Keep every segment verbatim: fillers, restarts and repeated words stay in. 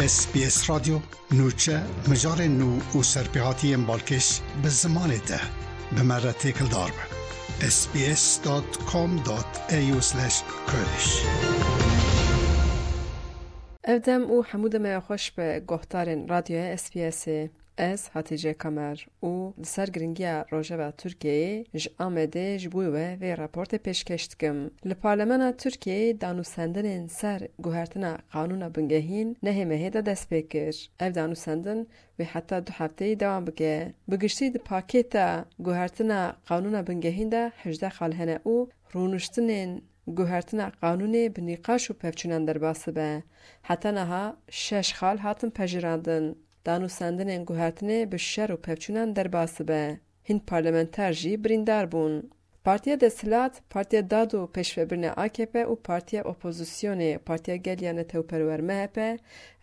S B S Radyo, nûçe, mijarên nû û serpêhatiyên balkêş bi zimanê te. Bi me re têkildar be. S B S dot com dot A U slash Kurdish. Ev dem û hemû demaya xweş be guhdarên Radyoya S B Sê. Ez Hatice Kamer û li ser giringiya rojeva Tirkiyeyê ji Amedê ji bo we vê raportê pêşkêş dikim. Li Parlemena Tirkiyeyê danûstendinên ser guhertina qanûna bingehîn nehê mehê de dest pê kir. Ev danûstendin wê heta du hefteyî dewam bike. Bi giştî di pakêta guhertina qanûna bingehîn de hejdeh xal hene û rûniştinên guhertina qanûnê bi nîqaş û pevçûnan derbas dibe. Heta niha şeş xal hatin pejirandin. Danûstendinên guhertinê bi şer û pevçûnan derbas dibe. Hin parlamenter jî birîndar bûn. Partiya desthilat, Partiya Dad û Pêşvebirinê A K P û Partiya Opozisyonê, Partiya Gel ya Netewperwer M H P,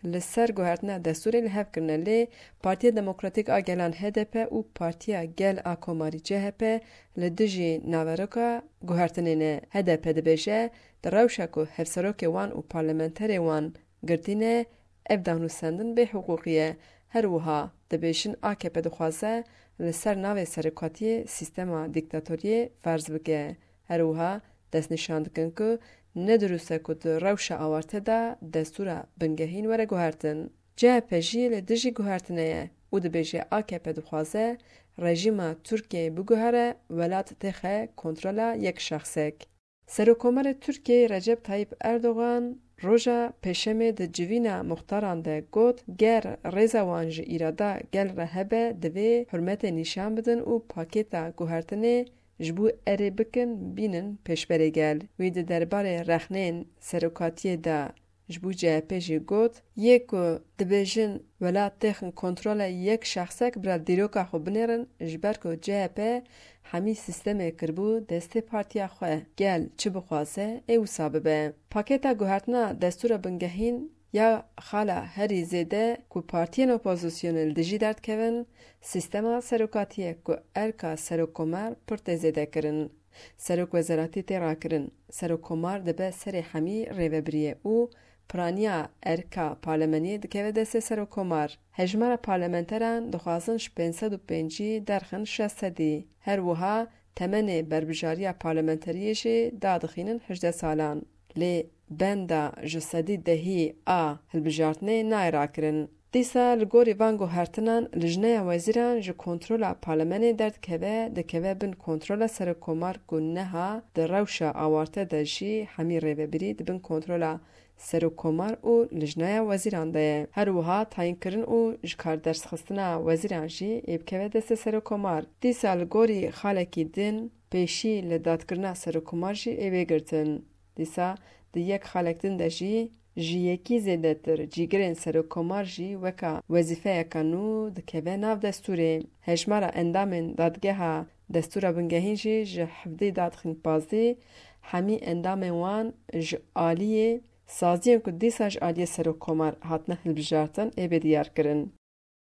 li ser guhertina destûrê li hev kirine, lê Partiya Demokratîk a Gelan H D P û Partiya Gel a Komarî C H P li dijî naveroka guhertinê ne. H D P dibêje, di rewşa ku hevserokê wan û parlamenterê wan girtî ne, ev danûstendin bêhiqûqî ye. Her wiha dibêjin A K P dixwaze li ser navê serokatiyê sîstema dîktatoriyê ferz bike. Her wiha destnîşan dikin ku ne dirûst e ku di rewşa awarte de destûra bingehîn were guhertin. C H P jî li dijî guhertinê ye û dibêje A K P dixwaze rejîma Tirkiyeyê biguhere, welat têxe kontrola yek şexsek. Serokkomarê Tirkiyeyê Recep Tayyip Erdogan roja Pêşemê di civîna muxtaran de got, ger rêza wan ji îrada gel re hebe, divê hurmetê nîşan bidin û pakêta guhertinê ji bo erê bikin, bînin pêşberê gel. Wî di derbarê rexnên serokatiyê de ji bo C H P jî got, yê ku dibêjin welat têxin kontrola yek şexsek, bira dîroka xwe binêrin, ji ber ku C H P hemî sîstemê kiribû destê partiya xwe. Gel çi bixwaze, ê wisa bibe. Pakêta guhertina destûra bingehîn ya xala herî zêde ku partiyên opozisyonê li dijî derdikevin, sîstema serokatiyê ku erka serokkomar pir tê zêde kirin. Serok wezeratî tê rakirin. Serokkomar dibe serê hemî rêvebiriyê û piraniya erka parlemeniyê dikeve destê serokkomar. Hejmara parlamenteran dixwazin ji pênc sed û pêncî derxin şeş sedî. Her wiha temenê berbijariya parlamenteriyê jî dadixînin hejdeh salan. Lê benda ji sedî dehî a hilbijartinê nayê rakirin. Dîsa li gorî van guhertinan, Lijneya Wezîran ji kontrola parlemenê derdikeve, dikeve bin kontrola serokkomar ku niha di rewşa awarte de jî hemî rêvebirî di bin kontrola serokkomar û Lijneya Wezîran de ye. Her wiha tayînkirin û ji kar dersxistina wezîran jî ê bikeve destê serokkomar. Dîsa li gorî xalekî din pêşî li dadkirina serokkomar jî ê bê girtin. Dîsa di yek xalek din de jî ji yekî zêdetir cîgirên serokkomar jî weka wezîfeyeka nû dikeve nav destûrê. Hejmara endamên dadgeha destûra bingehîn jî ji hevdî dadixîn pazdî, hemî endamên wan ji aliyê saziyên ku dîsa ji aliyê serokkomar hatine hilbijartin ê bê diyarkirin.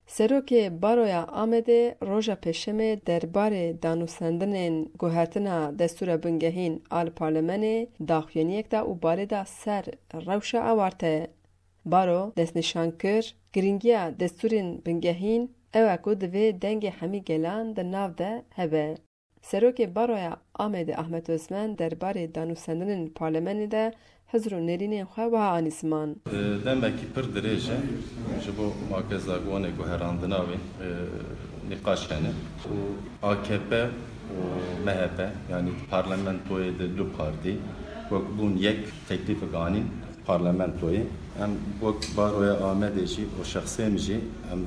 Serokê Baroya Amedê roja Pêşemê derbarê danûstendinên guhertina destûra bingehîn a li parlemenê daxuyaniyek da û barê da ser rewşa awarte. Baro destnîşan kir, girîngiya destûrên bingehîn ew e ku divê dengê hemî gelan di nav de hebe. Serokê Baroya Amedê Ahmet Özmen derbarê danûstendinên parlemenê de hizr û nêrînên xwe wiha anî ziman. Demekî pir dirêj e ji bo makezagonê guherandina wê, e, nîqaş hene û A K P û M H P, yanî parlamentoyê de du partî wek bûn yek teklîfek anîn parlamentoyê. Em wek Baroya Amedê jî û şexsê min jî em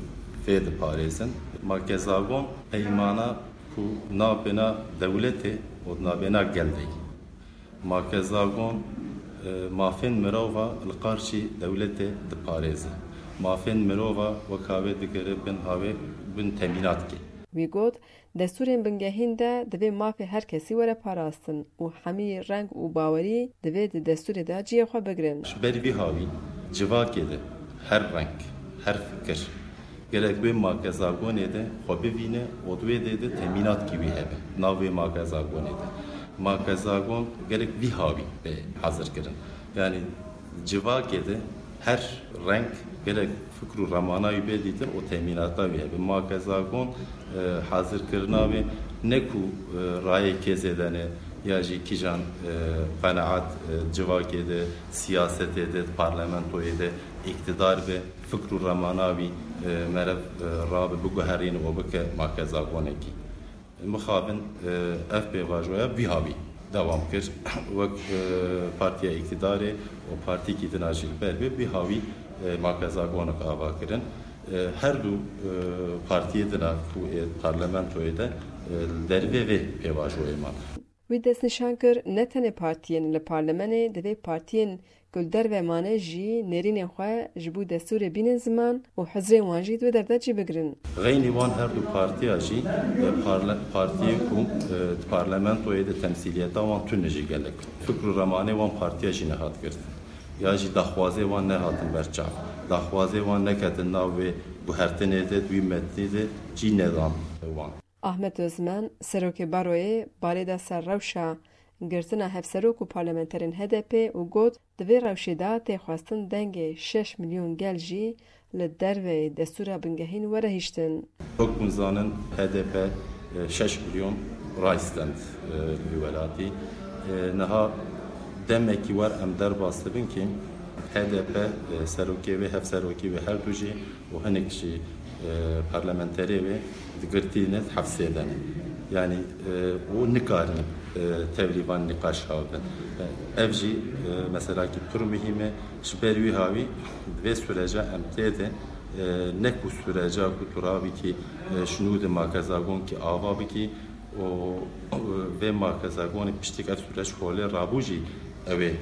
vê diparêzin. Makezagon peymana ku nabêna dewletê û nabêna gel de ye. Makezagon, e, mafên mirova li qarşî dewletê diparêze. Mafên mirova weka wê digere bin havê, bin temînat ke. Wî got, destûrên bingehîn de divê mafê her kesî were parastin û hemî reng û bawerî divê di destûrê de cihê xwe bigirin. Ji ber vî hawî civakê de her reng, her fikir, gerek wê makezagonê de xwe bivîne û di wê dê de temînatkî wî hebe nav wê makezagonê de. Makezagon gerek vî hawî bê hezirkirin. Yanî civakê de Her reng gelek fikr û remana wî bê dîtin û temînata wî hebe. Makezagon, e, hazirkirina wê ne ku, e, rayê kêzê de ne ya jî kîjan, e, qenaet, e, civakê de, siyasetê de, parlamentoyê de îktidar be, fikr û remana wî, e, meriv, e, rabe, biguherîne û bike makezagonekî. Mixabin, e, ev pêvajoya vî havî dewam kir. Wek, e, partiya îktidarê û partîkî din a jî li ber bê, vî havî, e, makezagonek ava kirin. E, her du, e, partiyê din a ku ê parlamentoyê de, e, li dervê vê pêvajoyê man. Wî destnîşan kir, ne tenê partiyên li parlemenê, divê partiyên ku li derve mane jî nêrînên xwe ji bo destûrê bînin ziman û hizrên wan jî di wê derdê cî bigirin. Xeynî wan her du partiya jî, e, parle-, partiyên ku, e, di parlamentoyê de temsîliyeta wan tune jî gelek. Fikr û remanê wan partiya jî nehat girtin. Ya jî daxwazê wan nehatin berçav. Daxwazê wan neketin nav wê guhertinê de, di wî metnî de cî nedan wan. Ahmet Özmen, serokê Baroyê, balê da ser rewşa girtina hevserok û parlamenterên H D P û got, di vê rewşê de tê xwestin dengê şeş milyon gel jî li derveyê destûra bingehîn were hiştin. Wek hûn zanin, H D P, e, şeş milyon raystand, e, li vî welatî. E, niha demekî wer em derbas dibin ki H D P, e, serokê wê, hevserokî wê her du jî û hinek jî, e, parlamenterê wê di girtî ne, di hefsê de ne. Yanî, e, û nikarin, e, tevlî van nîqaş hawtin. E, ev jî, e, meselakî pir muhîm e. Ji ber wî havî di vê süreca em tê de, e, ne ku süreca ku tu rabikî, e, ji nû de makezagonkî ava bikî û, e, vê makezagonê piştî ku ev süreç holê rabû jî ew ê, e,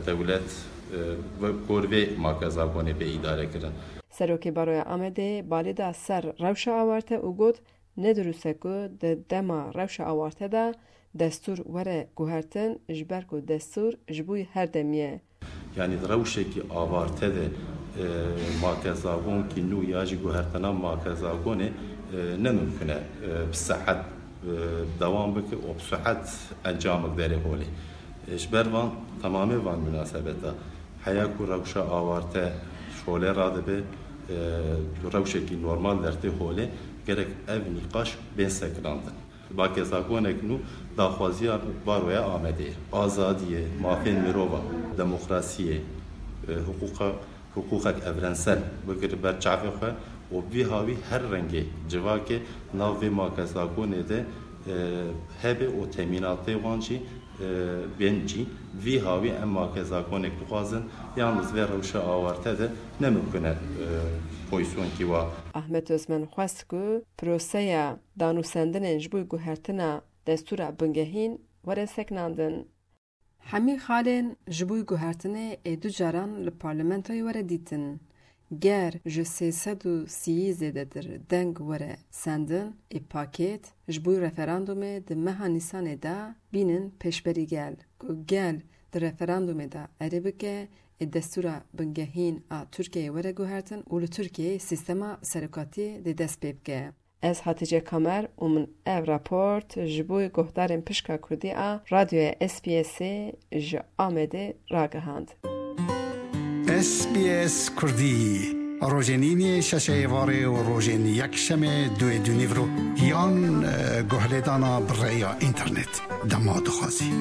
dewlet, e, wek gor vê makezagonê bê îdare kirin. Serokê Baroya Amedê balê da ser rewşa awarte û got, ne dirûst e ku di dema rewşa awarte de destûr were guhertin, ji ber ku destûr ji bo her demî ye. Yanî di rewşekî awarte de, e, makezagonkî nû ya jî guhertina makezagonê, e, ne mimkun e, e, bi sehet, e, dewam bike û bi sehet encamek derê holê. E, ji ber van, temamê van munasebeta, heya ku rewşa awarte şolê radibe, e, rewşekî normal dertê holê, gerek ev nîqaş bên sekinandin. Makezagonek nû daxwaziya Baroya Amedê ye. Azadiyê, mafên mirova, demokrasiyê, e, hiqûqa, hiqûqek evrensel bigire ber çavê xwe û vî havî her rengê civakê nav vê makezagonê de, e, hebe û temînatê wan jî, e, bên cî. Vî havî em makezagonek dixwazin, yalnız vê rewşa awarte de ne mimkun e, e, pozîsyonkî wa. Ahmet Özmen xwest ku proseya danûsendinên ji bo guhertina destûra bingehîn were sekinandin. Hemî xalên ji bo guhertinê ê du caran li parlamentoyê were dîtin. Ger ji sê sed û sî zêdetir deng were sendin, ê pakêt ji bo referandumê di meha Nîsanê de bînin pêşberî gel, ku gel di referandumê de erê bike, ê destûra bingehîn a Tirkiyeyê were guhertin û li Tirkiyeyê sîstema serokatiyê dê dest pê bike. Ez Hatice Kamer û min ev raport ji bo guhdarên pişka kurdî a Radyoya S B S'ê ji Amedê ragihand. S B S Kurdî, rojên îniyê şeşê êvarê û rojên yekşemê duê dûnîvro yan, e, guhlêdana bi rêya înternet dema dixwazî.